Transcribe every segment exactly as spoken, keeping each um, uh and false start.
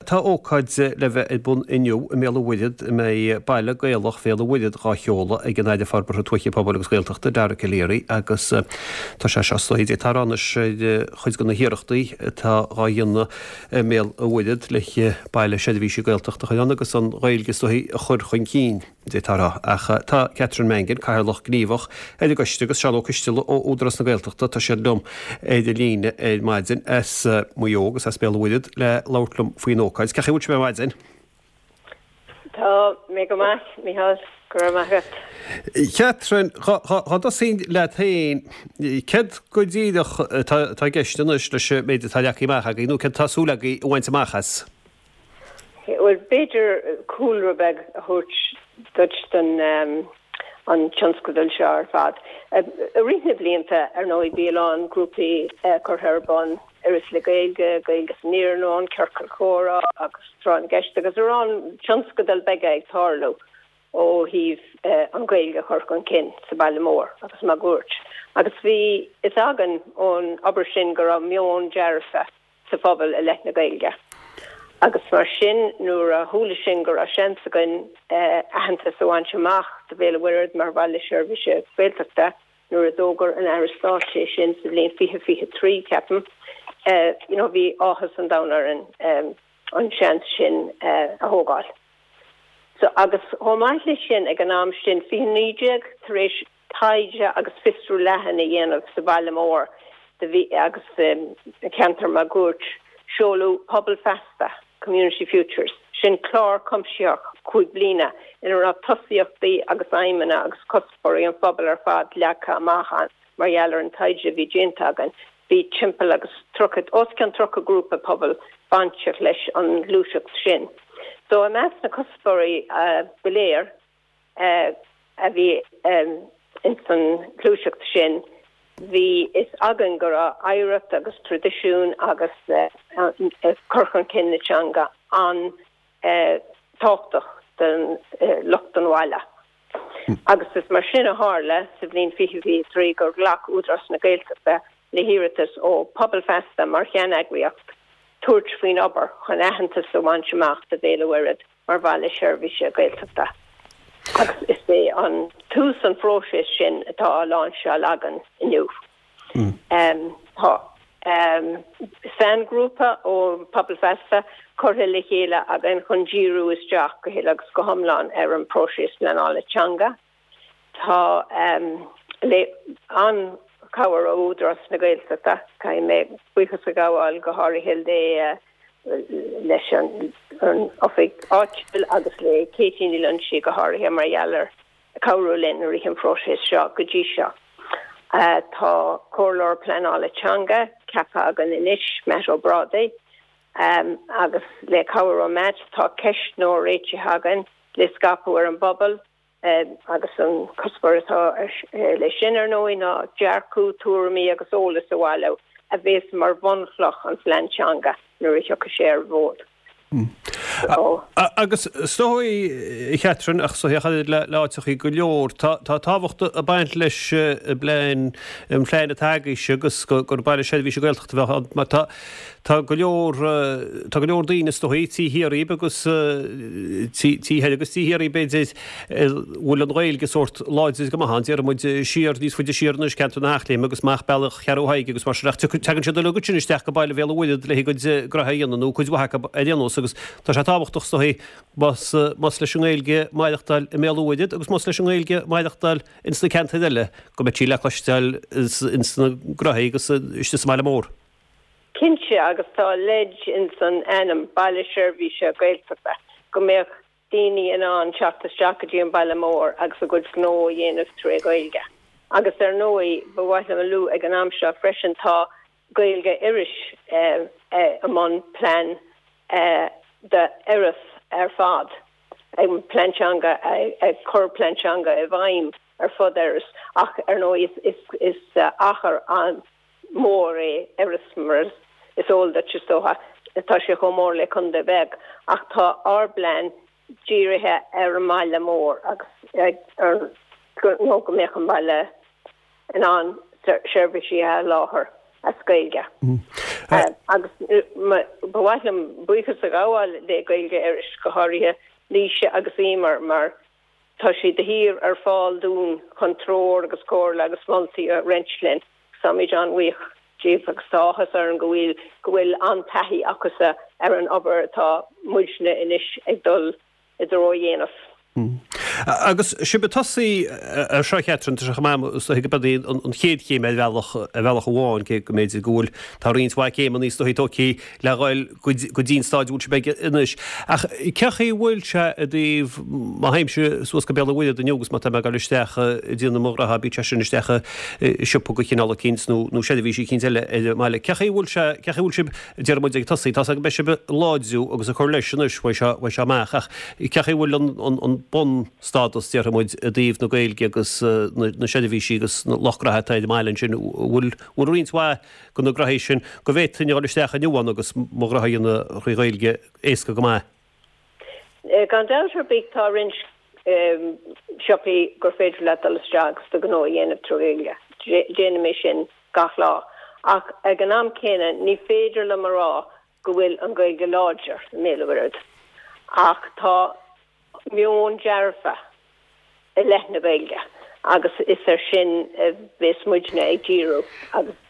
Tá ócáid le bheith ar bun inniu i mBéal an Mhuirthead a mbeidh Baile Gaelach Bhéal an Mhuirthead dhá sheoladh ag an Aire Forbartha Tuaithe Pobail agus Gaeltachta Dara Calleary agus tá sé seo is dóigh ag tarraingt ar chuid de na hiarrachtaí atá dhá dhéanamh i mBéal an Mhuirthead le baile seirbhíse Gaeltachta a chur ann agus an Ghaeilge is dóigh a chur chun cinn. D'fhéadfá a rá. Ach tá Catherine Mangan, Cathaoirleach Gníomhach ar an gcoiste agus Seán Ó Coisteala ó Údarás na Gaeltachta, tá siad liom ar an líne ar maidin as Maigh Eo agus as Béal an Mhuirthead le labhairt liom faoin ócáid. Cén chaoi a bhfuil sibh ar maidin? Tá mé go maith, Mícheál, go raibh maith agat. Catherine, dhá dtosóinn leat féin, céard go díreach atá i gceist anois leis an méid atá leagtha amach agaibh nó céard atá súil agaibh a bhaint amach as? Bhuel, b'fhéidir cúlra beag a thabhairt duit don an tionscadal seo ar fad. I rith na blianta, ar ndóigh, bhí a lán grúpaí curtha ar bun, Iorras le Gaeilge, Gaeilge san Iarnóin, Ciorcal Comhrá agus Tráth na gCeist agus a lán tionscadal beaga ag tarlú ó thaobh an Ghaeilge a chur chun cinn sa bhaile mór agus máguaird. Agus bhí fhios againn ón obair sin go raibh meon dearfa sa phobal i leith na Gaeilge. Agus mar sin, nuair a chuala sinn go raibh seans againn aitheantas a bhaint amach do Bhéal an Mhuirthead mar Bhaile Seirbhíse Gaeltachta, nuair a d'fhógair an Aire Stáit é sin sa bhliain fiche fiche trí, ceapaim, you know, bhí áthas an domhain orainn an seans sin a thógáil. So, agus chomh maith leis sin, ag an am sin, fiche naoi déag, tar éis taighde agus fiosrú leathan a dhéanamh sa bhaile mór do bhí agus sa cheantar máguaird, seoladh Pobal Feasta, Community Futures, sin clár cuimsitheach cúig bliana ina raibh tosaíochtaí agus aidhmeanna agus cuspóirí an phobail ar fad leagtha amach ann mar gheall ar an taighde a bhí déanta againn. Bhí timpeall agus tríocha, os cionn tríocha grúpa pobail bainteach leis an ghluaiseacht sin. So i measc na cuspóirí go léir a bhí ins an ghluaiseacht sin, bhí fhios againn go raibh oidhreacht agus traidisiún agus cur chun cinn na teanga an-tábhachtach don lucht an bhaile. Agus is mar sin a tharla sa bhliain fiche fiche trí gur ghlac Údarás na Gaeltachta le hiarratas ó Pobal Feasta mar cheanneagraíocht tabhairt faoin obair chun aitheantas a bhaint amach do Bhéal an Mhuirthead mar bhaile seirbhíse Gaeltachta. Agus is é an tús an phróisis sin atá á láinseáil againn inniu. Tá sainghrúpa ó Pobal Feasta curtha le chéile againn chun díriú isteach go huile agus go hiomlán ar an bpróiseas pleanála teanga. Tá le an-chabhair ó Údarás na Gaeltachta, caithfidh mé buíochas a ghabháil go háirithe le leis an oifig áitiúil agus le Katie Ní Loingsigh go háirithe mar gheall ar cabhrú linn i rith an phróisis seo go dtí seo. Tá comhairleoir pleanála teanga ceaptha againn anois, Matt Ó Brádaigh, agus le cabhair ó Matt tá ceistneoir réitithe againn le scaipeadh ar an bpobal agus an cuspóir atá leis sin ar ndóigh ná dearcadh, tuairimí agus eolas a bhailiú a bheas mar bhunchloch an phlean teanga nuair a thiocfaidh sé ar an bhfód. Agus is dóigh, a Chatherine, ach is dóigh le áiteachaí go leor, tá tábhacht ag baint leis an bplean, an plean atá agaibhse agus gur baile seirbhíse Gaeltachta a bheadh ann mar tá tá go leor, tá go leor daoine is dóigh taobh thiar dhíbh agus taobh thoir agus taobh thiar dhíbh b'fhéidir a bhfuil an Ghaeilge sórt láidir go maith ann, déarfaidh muid siar níos faide siar anois ceantar na hEachléime agus amach bealach Cheathrú Thaidhg agus mar sin ach tagann siad uilig ansin isteach go baile Bhéal an Mhuirthead le a gcuid gnoithe a dhéanamh nó cuid mhaith acu ar aon nós agus tá sé tábhachtach is dóigh más más leis an nGaeilge maireachtáil i mBéal an Mhuirthead agus más leis an nGaeilge maireachtáil ins na ceantair eile go mbeidh sí le cloisteáil ins na gnoithe agus istigh sa mbaile mór. Cinnte, agus tá leid ins an ainm, Baile Seirbhíse Gaeltachta, go mbeadh daoine in ann teacht isteach go dtí an baile mór agus a gcuid gnó a dhéanamh tré Ghaeilge. Agus ar ndóigh, ba mhaith liom a lua ag an am seo freisin, tá Gaeilge Iorrais i mbun plean d'Iorras ar fad, plean teanga, ag cur plean teanga i bhfeidhm ar fud Iorrais ach ar ndóigh is achar an mór é Iorras mar is eol duit is dócha, tá sé chomh mór le contae beag ach tá ár bplean dírithe ar an mbaile mór agus ar nó go mbeadh an baile in ann seirbhísí a sholáthar as Gaeilge. Agus ba mhaith liom buíochas a ghabháil le Gaeilge Iorrais go háirithe Laoise agus Emer mar tá siad de shíor ar fáil dúinn chun treoir agus comhairle agus moltaí a roinnt linn. Táimid an-bhuíoch díobh agus tá áthas orainn go bhfuil go bhfuil an-taithí acusa ar an obair atá muidne anois ag dul i dtreo a dhéanamh. Agus sibh ag tosaí ar seo Catherine, tá sé chomh maith is dóiche gurb í an chéad chéim ar bhealach ar bhealach amháin cé go mb'fhéidir go bhfuil tá roinnt mhaith céimeanna is dóichí tógtha le dhul go dtí an staid a bhfuil sibh aige anois. Ach cé chaoi a bhfuil sé i dtaobh má théimse suas go Béal an Mhuirthead inniu agus má tá mé ag dul isteach ag déanamh mo ghraithe bíodh sé sin isteach i siopa de chineál eicínt nó nó seirbhís eicínt eile ar an mbaile. Cé chaoi a bhfuil sé cé chaoi a bhfuil sibh déarfaidh muid ag tosaí tá a fhios agam go mbeidh sibh ag láidriú agus ag cur leis anois uaidh seo uaidh seo amach ach cé chaoi a bhfuil an an an bunstádas déarfaidh muid i dtaobh na Gaeilge agus na na seirbhísí agus na lucht gnaithe atá ar an mbaile ansin bhfuil bhfuil roinnt mhaith de na gnoithí sin go bhféadfainn a dhul isteach inniu ann agus mo ghraithe a dhéanamh thrí Ghaeilge éasca go maith. Gan dabht ar bith tá roinnt siopaí gur féidir leat dul isteach agus do ghnó a dhéanamh trí Ghaeilge. Déanaim é sin gach lá. Ach ag an am céanna ní féidir liom a rá go bhfuil an Ghaeilge láidir i mBéal an Mhuirthead. Ach tá meon dearfa i leith na Gaeilge agus is ar sin a bheas muidne ag díriú agus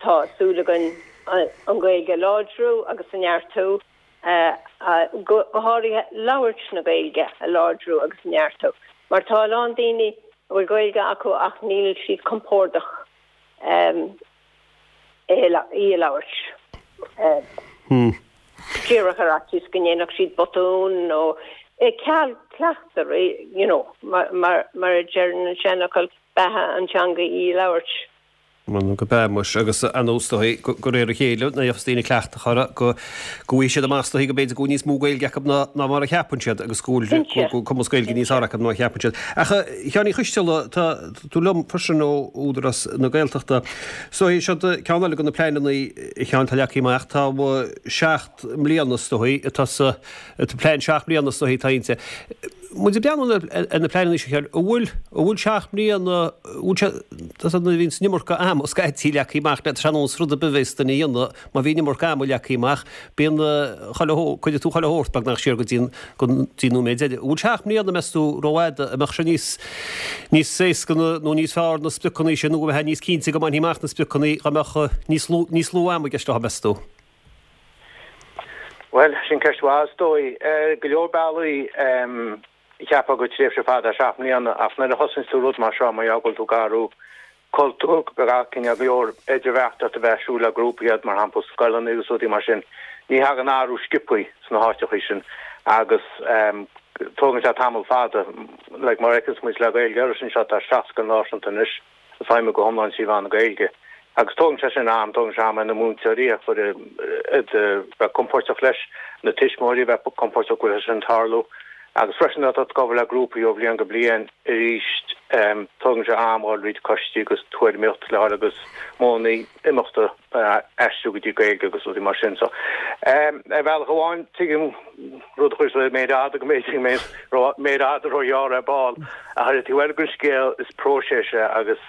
tá súil againn an Ghaeilge a láidriú agus a neartú, go háirithe labhairt na Gaeilge a láidriú agus a neartú. Mar tá a lán daoine a bhfuil Gaeilge acu ach níl siad compordach í a labhairt. Díreach ar fhaitíos go ndéanfadh siad botún nó ceal cleachtaidh, you know, mar mar a deir an seanfhocal, beatha an teanga í a labhairt. Bhuel gurb ea muis, agus ar ndóigh is dóichí de réir a chéile, nuair a gheobhas daoine cleachtadh orthu, go go bhfaighidh siad amach is dóichí go mb'fhéidir go bhfuil níos mó Gaeilge acu ná ná mar a cheapann siad agus go bhfuil go bhfuil cumas Gaeilge níos fearr acu ná a cheapann siad. Ach a Sheáin Uí Choisteala, tá tú liom freisin ó Údarás na Gaeltachta. Is dóichí seo ceann eile de na pleananna a Sheáin atá leagtha amach, tá seacht mbliana is dóichí atá sa plean seacht mbliana is dóichí atá inti. Muid ag breathnú ar na pleananna seo a Sheáin, an bhfuil an bhfuil seacht mbliana, an bhfuil sé, tá a fhios agat nuair a bhíonn an iomarca ama scaití leagtha amach, tá sé ar nós rud ar bith a bheas duine a dhéanamh, má bhíonn an iomarca ama leagtha amach, bíonn chuile shórt, cuirfidh tú chuile shórt beagnach siar go dtí an go dtí an nóiméad deiridh. An bhfuil seacht mbliana, meas tú, rófhada, an mbeadh sé níos níos éasca nó níos fearr na spriocanna sin nó go mbeifeá níos cinnte go mbainfí amach na spriocanna dá mbeadh níos lú níos lú ama i gceist leo, meas tú? Bhuel, sin ceist mhaith is dóigh. Ar go leor bealaí, cheapfá gur tréimhse fada seacht mbliana, ach nuair a thosaíonns tú rud mar seo, mar gheall go bhfuil tú ag athrú cultúr, go cineál go leor idirbheartaíocht a bheith ar siúl le grúpaí iad, mar shampla scoileanna agus rudaí mar sin, ní thagann athrú sciobthaí sna háiteachaí sin agus tógann sé tamall fada. Like, mar a fheiceanns muid le Gaeilge Iorrais anseo, tá seacht scoil náisiúnta anois ag feidhmiú go hiomlán trí mheán na Gaeilge. Agus tógann sé sin am, tógann sé am ar na múinteoirí a chur a bheith compordach leis, na tuismitheoirí a bheith compordach go bhfuil sé sin ag tarlú. Agus freisin nuair atá tú ag obair le grúpaí ó bhliain go bliain arís, tógann sé am dhul thríd coistí agus tuairimíocht le fháil agus modhanna imeachta a aistriú go dtí Gaeilge agus rudaí mar sin. So, ar bhealach amháin, tuigim rud a chuir sa méid fhada go mb'fhéidir go mbeidh méid fhada róghearr ar ball, ach ar an taobh eile den scéal is próiseas é agus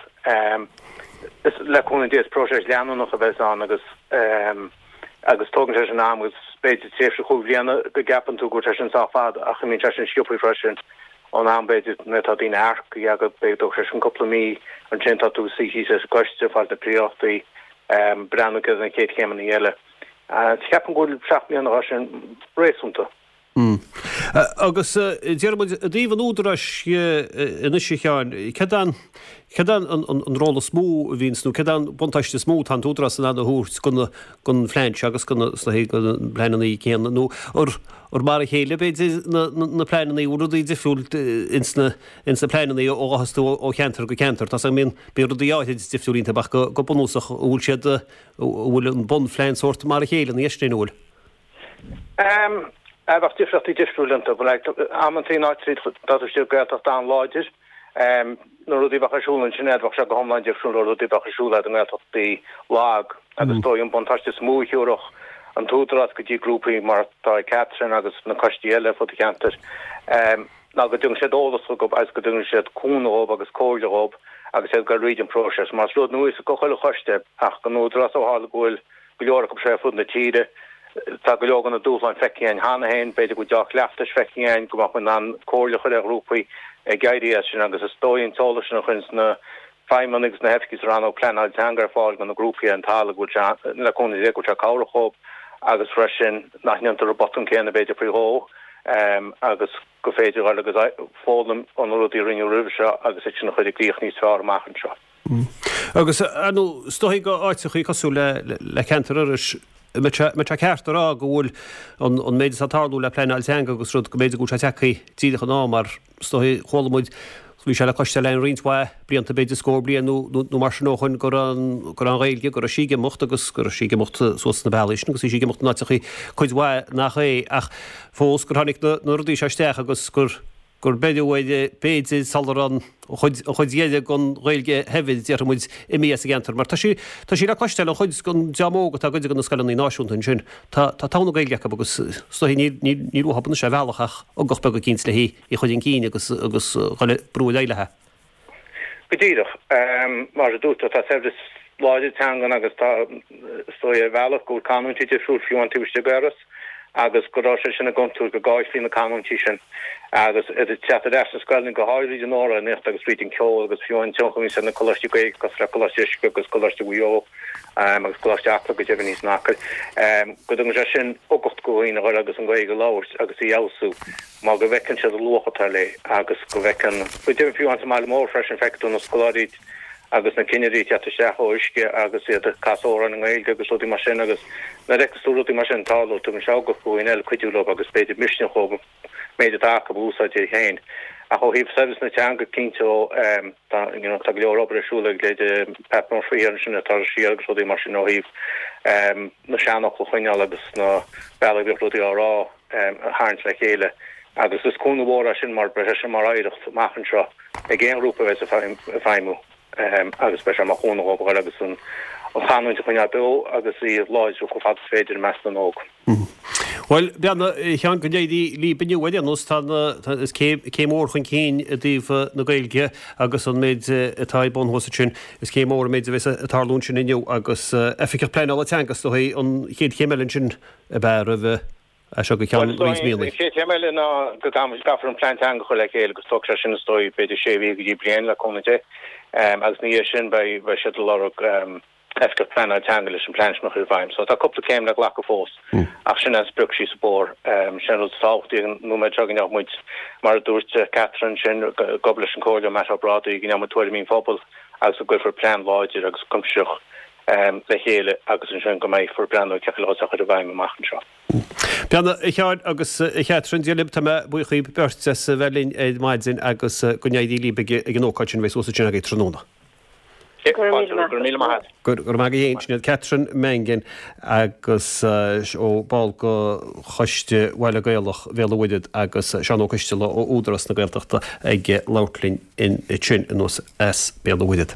is le cúnamh Dé is próiseas leanúnach a bheas ann agus agus tógann sé sin am agus b'fhéidir tréimhse chúig bhliana go gceapann tú go bhfuil sé sin sách fada ach imíonn sé sin sciobthaí freisin ón am b'fhéidir nuair atá daoine earcaithe agat b'fhéidir tógfaidh sé sin cúpla mí ansin tá tú ag suí síos leis an gcoiste ag fáil na príorachtaí breathnú céard na chéad chéimeanna eile. Ceapaim go bhfuil seacht mbliana dhá sin réasúnta. Agus déarfaidh muid i dtaobh an Údaráis anois a Sheáin, céard é an, céard é an ról is mó a bhíonns nó céard é an buntáiste is mó atá an tÚdarás in ann a thabhairt don, don phlean seo agus don, is dóichí, do na pleananna céanna nó ar, ar mar a chéile b'fhéidir na, na pleananna, bhfuil rudaí difriúil ins na, ins na pleananna ó ghabhfas tú ó cheantar go ceantar. Tá a fhios agam bíonn, bíonn rudaí áirid difriúil iontu ach go, go bunúsach an bhfuil siad, an bhfuil an bunphlean sórt mar a chéile ina dhiaidh sin, an bhfuil? Bheadh difríochtaí difriúil iontu. Amantaí in áit dá tú istigh i Gaeltacht an-láidir, na rudaí a bheadh ar siúl ansin bheadh sé go hiomlán difriúil ó rudaí a bheadh ar siúl i nGaeltachtaí lag agus is dóigh an buntáiste is mó a thiúrfadh an tÚdarás go dtí grúpaí mar atá ag Catherine agus na coistí eile ar fud an cheantair ná go dtugann siad eolas chucu agus go dtugann siad cúnamh dhóibh agus comhairle dhóibh agus iad ag dul thríd an próiseas. Mar is rud nua do chuile choiste ach don Údarás ó tharla go bhfuil go leor acu seo ar fud na tíre. Tá go leor de na dúshláin feicthe againn cheana féin, b'fhéidir go bhfuil dea-chleachtais feicthe againn, go mbeadh muid in ann comhairle a chur ar ghrúpaí ag éirí as sin agus is dóigh an t-eolas sin a chuireanns na feidhmeannaigh agus na hoifigigh sa rannóg pleanáil teanga ar fáil do na grúpaí ar an talamh go bhfuil sé, le cúnamh Dé, go bhfuil sé cabhrach dhóibh agus freisin nach ndéantar an botún céanna b'fhéidir faoi dhó agus gur féidir dhul agus foghlaim ó na rudaí a rinneadh roimhe seo agus iad sin a chur i gcrích níos fearr amach anseo. Agus, ar ndóigh, is dóigh go áiteachaí cosúil le le ceantar Iorrais, an mbeadh sé ceart a rá go bhfuil an an méid atá ag tarlú le pleanáil teanga agus rud go mb'fhéidir go bhfuil sé tagtha díreach in am mar is dóigh chuala muid bhí sé le cloisteáil againn roinnt mhaith blianta b'fhéidir scór bliain nó nó mar sin ó shoin go raibh an go raibh an Ghaeilge go raibh sí ag imeacht agus go raibh sí ag imeacht suas sna bealaí sin agus bhí sí ag imeacht in áiteachaí cuid mhaith nach é ach fós gur tháinig na na rudaí seo isteach agus gur gur beireadh air b'fhéidir sula raibh an chuid an chuid dheiridh den Ghaeilge shaibhir déarfaidh muid imithe as an gceantar mar tá sí tá sí le cloisteáil an chuid den dream óg atá ag goil go na scoileanna náisiúnta ansin tá tá togha na Gaeilge acu agus is dóigh níl níl níl uathu anois ar bhealach ach ugach beag eicínt le hí í a chur chun cinn agus agus dhul ag brú ar aghaidh léi. Go díreach. Mar a dúirt tú tá saibhreas láidir teangan agus tá is dóigh ar bhealach go bhfuil canúintí difriúil fiú taobh istigh d'Iorras agus go raibh sé sin i gcontúirt go gcaillfí na canúintí sin agus iad ag teacht ar ais sna scoileanna, go háirid fríd an amhránaíocht agus fríd an ceol agus fiú an tionchar a bhíonns ar na coláistí Gaeilge cosúil le Coláiste Uisce agus Coláiste Mhaigh Eo agus Coláiste Acla go deimhin thíos in Acaill, go dtugann sé sin uchtach do dhaoine a dhul agus an Ghaeilge a labhairt agus í a fheabhsú mar go bhfeiceann siad an luach atá léi agus go bhfeiceann, go deimhin fiú sa mbaile mór freisin feicfidh tú na scoláirí agus na cinnirí ag teacht isteach ó Uisce agus iad ag casadh amhráin i nGaeilge agus rudaí mar sin agus nuair a fheiceas tú rudaí mar sin ag tarlú tugann sé ugach do dhaoine eile cuidiú leo agus b'fhéidir misneach dhóibh an méid atá acu a úsáid iad féin. Ach ó thaobh saibhreas na teanga cinnte tá you know tá go leor obair ar siúl ag leithéidí Pat Murphy thiar ansin atá siar agus rudaí mar sin ó thaobh na seanfhocail a choinneáil agus na bealaí a bhíodh rudaí á rá a tharraingt le chéile agus is cúnamh mhór é sin mar beidh sé sin mar oidhreacht amach anseo ag aon ghrúpa a bheas ag feidhmiú. agus beidh sé mar chúnamh dhóibh a dhul agus an chanúint a choinneáil beo agus í a láidriú chomh fada is féidir i measc na n-óg. Bhuel, beannacht a Sheáin go n-éirí libh inniu ar aon nós. Tá na, tá, is céim, céim mhór chun cinn i dtaobh na Gaeilge agus an méid atá ar bun thuas ansin. Is céim mhór an méid a bheas ag tarlú ansin inniu agus Oifigeach Pleanála Teanga is dóigh an chéad chéim eile ansin ab ea roimh as seo go ceann roinnt míonna. An chéad chéim eile ná go gcaithfear an plean teanga a chur le chéile agus tógfaidh sé sin is dóigh b'fhéidir sé mhí go dtí bliain le cúnamh Dé. Agus ina dhiaidh sin beidh siad ag lorg oifigeach pleanála teanga leis an plean sin a chur i bhfeidhm. So tá cúpla céim le glacadh fós ach sin an sprioc síos an bóthar. Sin an rud is tábhachtaí ag an nóiméad seo go ndéanfaidh muid, mar a dúirt Catherine ansin, ag obair leis an Comhairleoir Matt Ó Brádaigh, go ndéanfaidh muid tuairimí an phobail agus go gcuirfear plean láidir agus cuimsitheach le chéile agus ansin go mbeifear ag breathnú cén chaoi le é a chur i bhfeidhm amach anseo. Beannacht a Sheáin agus a Chatherine, Dia libh, tá mé buíoch dhíbh beirt as a bheith linn ar maidin agus go n-éirí libh ag an ócáid sin a bheidh suas ansin agaibh tráthnóna. Go raibh míle maith agat. Go raibh maith agaibh féin. Sin iad Catherine Mangan agus ó ball de Choiste Bhaile Gaelach Bhéal an Mhuirthead agus Seán Ó Coistealbha ó Údarás na Gaeltachta ag labhairt linn ansin anuas as Béal an Mhuirthead.